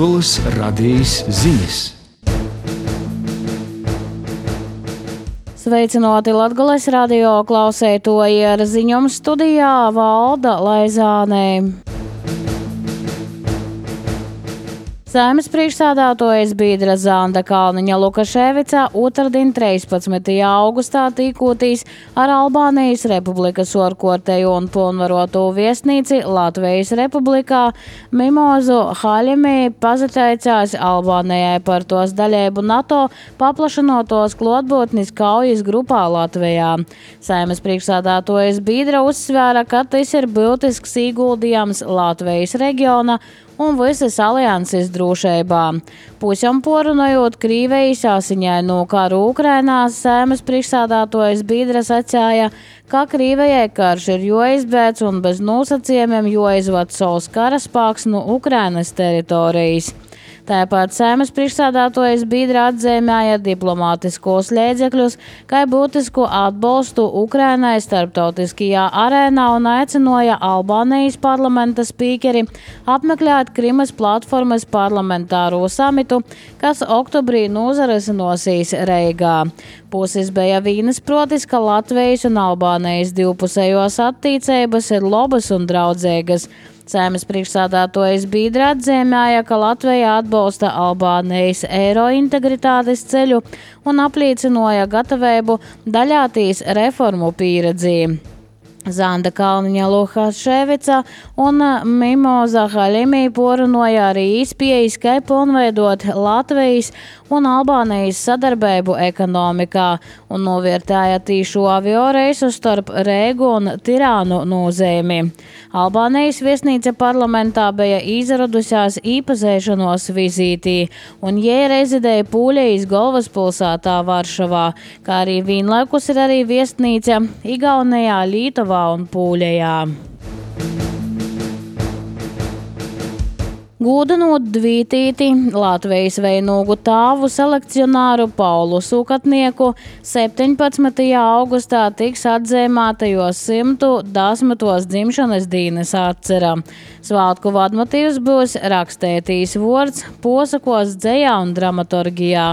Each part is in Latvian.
Latgoles radījis ziņas. Sveicināti Latgoles radio klausētoji, ar ziņojumu studijā Valda Laizānē. Saeimas priekšsēdētājas biedra Zanda Kalniņa Lukaševica otrdien 13. augustā tikotīs ar Albānijas Republikas orkorteju un pilnvaroto viesnīci Latvijas Republikā Mimozu Haļimī pazateicās Albānijai par tos daļēbu NATO paplašinotos klotbūtnis kaujas grupā Latvijā. Saeimas priekšsēdētājas biedra uzsvēra, ka tas ir būtisks ieguldījums Latvijas reģiona un visas alianses drošībā. Pusēm porunojot Krīvijas asiņaino karu Ukrainā, Saeimas priekšsēdētājas biedra sacīja, ka Krīvijai karš ir jāizbeidz un bez nosacījumiem jāizved savs karaspēks no Ukrainas teritorijas. Tāpat Saeimas priekšsēdētājas biedra atzīmēja diplomātiskos līdzekļus, kā būtisku atbalstu Ukrainai starptautiskajā arēnā un aicināja Albānijas parlamenta spīkeri apmeklēt Krimas platformas parlamentāro samitu, kas oktobrī nozarisinosies Reigā. Puses bija vienisprātis, ka Latvijas un Albānijas divpusējos attiecības ir labas un draudzīgas. Saeimas priekšsēdētājas biedra atzīmēja, ka Latvija atbalsta Albānijas eiro integritātes ceļu un apliecināja gatavību daļāties reformu pieredzi. Zanda Kalniņa Lukaševica un Mimoza Haļimī porunāja arī iespējas, kā pilnveidot Latvijas un Albānijas sadarbību ekonomikā un novērtēja tīšu avio reisu starp Reigu un Tirānu nozīmi. Albānijas viesnīca parlamentā bija izradusies īpazīšanos vizītī, un jie rezidēja Pūļejas galvaspilsētā Varšavā, kā arī vienlaikus ir arī viesnīca Igaunijā, Lītuvā un Pūļejā. Gūdinot dvītīti Latvijas veinūgu tāvu selekcionāru Paulu Sukatnieku 17. augustā tiks atzīmēta jo 110. dzimšanas dienas atcera. Svātku vadmotīvs būs rakstētīs vārds posakos dzejā un dramaturgijā.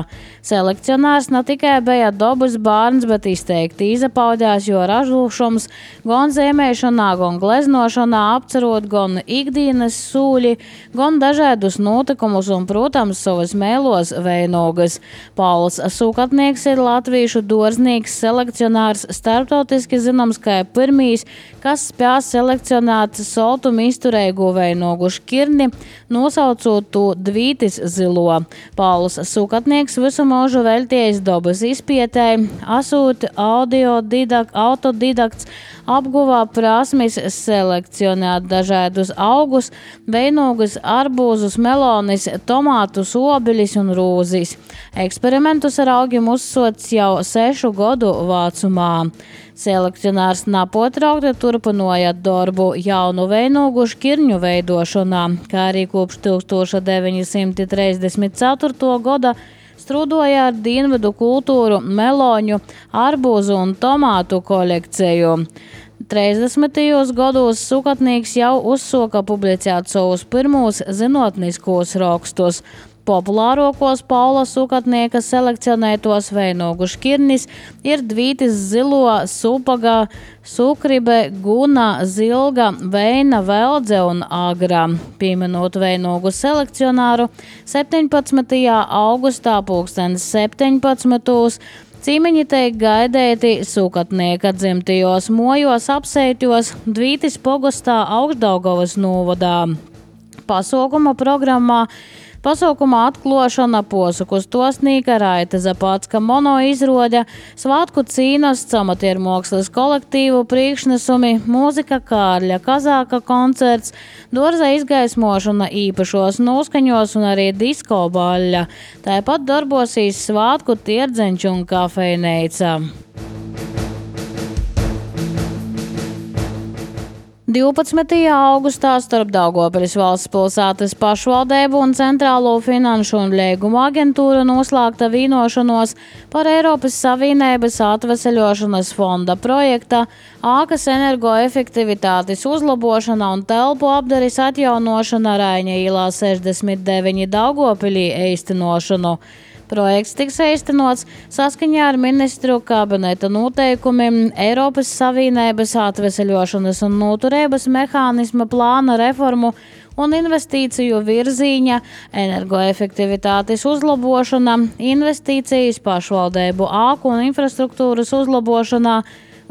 Selekcionārs ne tikai bija dabas bārns, bet izteikti izapaudās jo ražošums gan zīmēšanā, gan gleznošanā, apcerot gan ikdienas sūļi, gan dažādus notikumus un, protams, savas mēlos veinugas. Pauls Sukatnieks ir latviešu dārznieks, selekcionārs, starptautiski zināms kā pirmīs, kas spēj selekcionēt soltumu izturīgu veinugu šķirni, nosaucot to Dvītis zilo. Pauls Sukatnieks visu mūžu veltījis dabas izpētēji, esot autodidakts, apguvā prasmes selekcionēt dažādus augus, veinugus, arbūzus, melonis, tomātus, obeļus un rūzis. Eksperimentus ar augiem uzsots jau 6 gadu vecumā. Selekcionārs nepotraukti turpināja darbu jaunu veinugu šķirņu veidošanā, kā arī kopš 1934. gada strūdoja ar dienvidu kultūru, meloņu, arbūzu un tomātu kolekciju. 30. gados Sukatnieks jau uzsoka publicēt savus pirmos zinātniskos rakstus. Populārākos Paula Sukatnieka selekcionētos veinugu šķirnis ir Dvītis zilo, supaga, sukribe, guna, zilga, veina, veldze un agra. Pieminot veinugu selekcionāru 17. augustā 17. Cīmeņi tiek gaidēti Sukatnieka dzimtajos mojos apsētjos Dvītis pogastā Augšdaugavas novadā. Pasaukuma atklošana, posaku stosnīka, Raita Zapatska mono izroģa, svātku cīnas, amatiermākslas kolektīvu priekšnesumi, mūzika Kārļa Kazāka koncerts, dārza izgaismošana īpašos noskaņos un arī disko baļļa. Tāpat darbosīs svātku tierdzeņš un kafejneica. 12. augustā starp Daugavpils valsts pilsētas pašvaldību un Centrālo finanšu un līgumu aģentūru noslēgta vienošanos par Eiropas Savienības atveseļošanas fonda projekta ākas energoefektivitātes uzlabošana un telpu apdares atjaunošana Raiņa ielā 69 Daugavpilī īstenošanu. Projekts tiks īstenots saskaņā ar ministru kabineta noteikumiem Eiropas Savienības atveseļošanas un noturības mehānisma plāna reformu un investīciju virzīņa, energoefektivitātes uzlabošana, investīcijas pašvaldību āku un infrastruktūras uzlabošanā,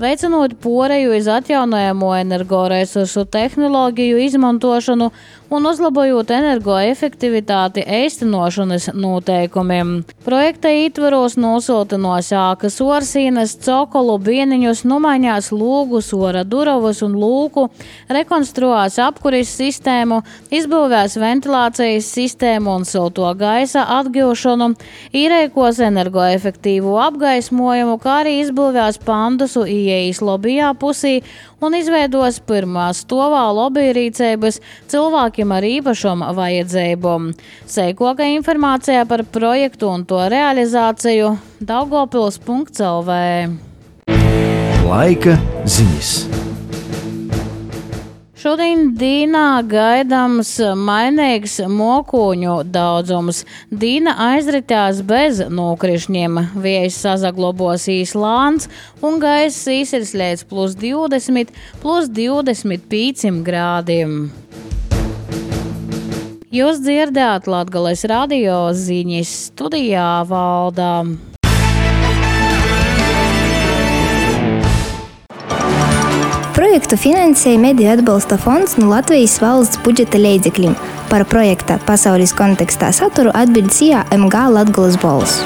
veicinot poreju iz atjaunojamo energoresursu tehnoloģiju izmantošanu un uzlabojot energoefektivitāti īstenošanas noteikumiem. Projekta ietvaros nosiltinos ākas orsīnes, cokolu, bieniņus, nomaiņās lūgus, ora durovus un lūku, rekonstruās apkuris sistēmu, izbūvēs ventilācijas sistēmu un silto gaisa atgūšanu, īrēkos energoefektīvu apgaismojumu, kā arī izbūvēs pandusu ieejas lobijā pusī un izveidos pirmā stovā lobija rīcības cilvēkiem ar īpašām vajadzībām. Seikoka informācija par projektu un to realizāciju daugavpils.lv. Laika ziņas. Šodien dienā gaidāms mainīgs mokuņu daudzums. Diena aizritās bez nokrišņiem. Vējš sazaglobosīs lāns un gaiss īsirs līdz +20, +25 grādiem. Jūs dzirdējāt Latgales radio ziņas, studijā Valdā. Projektu finansēja Mediju atbalsta fonds no Latvijas valsts budžeta līdzekļiem. Par projekta pasaules kontekstā saturu atbild CIA MG Latgales balss.